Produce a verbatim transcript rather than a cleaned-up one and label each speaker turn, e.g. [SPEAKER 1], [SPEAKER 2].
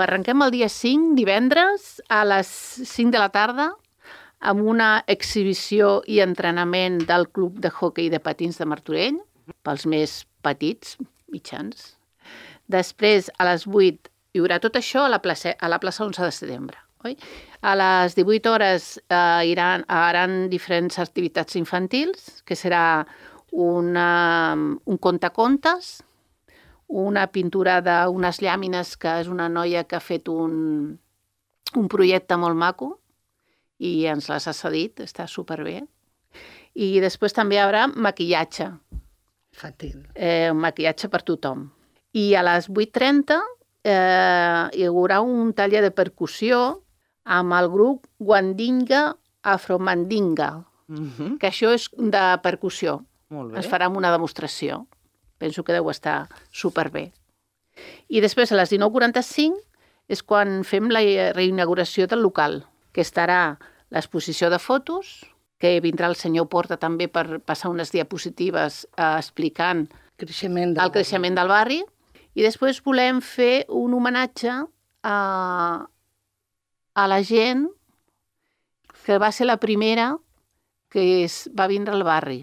[SPEAKER 1] arrenquem el dia cinc, divendres, a les cinc de la tarda, amb una exhibició i entrenament del Club de Hockey de Patins de Martorell, pels més petits, mitjans. Després, a les vuit, hi haurà tot això a la plaça, a la plaça onze de setembre. Oi? A les divuit hores eh, iran, haran diferents activitats infantils, que serà una, un contacontes, una pintura d'unes llàmines, que és una noia que ha fet un, un projecte molt maco, i ens les ha cedit, està superbé. I després també hi haurà maquillatge.
[SPEAKER 2] Infantil.
[SPEAKER 1] Eh, maquillatge per tothom. I a les vuit trenta eh, hi haurà un taller de percussió amb el grup Wandinga Afromandinga,
[SPEAKER 2] Uh-huh.
[SPEAKER 1] que això és de percussió.
[SPEAKER 2] Molt bé.
[SPEAKER 1] Es farà una demostració. Penso que deu estar superbé. I després, a les dinou quaranta-cinc, és quan fem la reinauguració del local, que estarà l'exposició de fotos, que vindrà el senyor Porta també per passar unes diapositives eh, explicant
[SPEAKER 2] Creixement del
[SPEAKER 1] el creixement del barri. I després volem fer un homenatge a, a la gent que va ser la primera que es, va vindre al barri.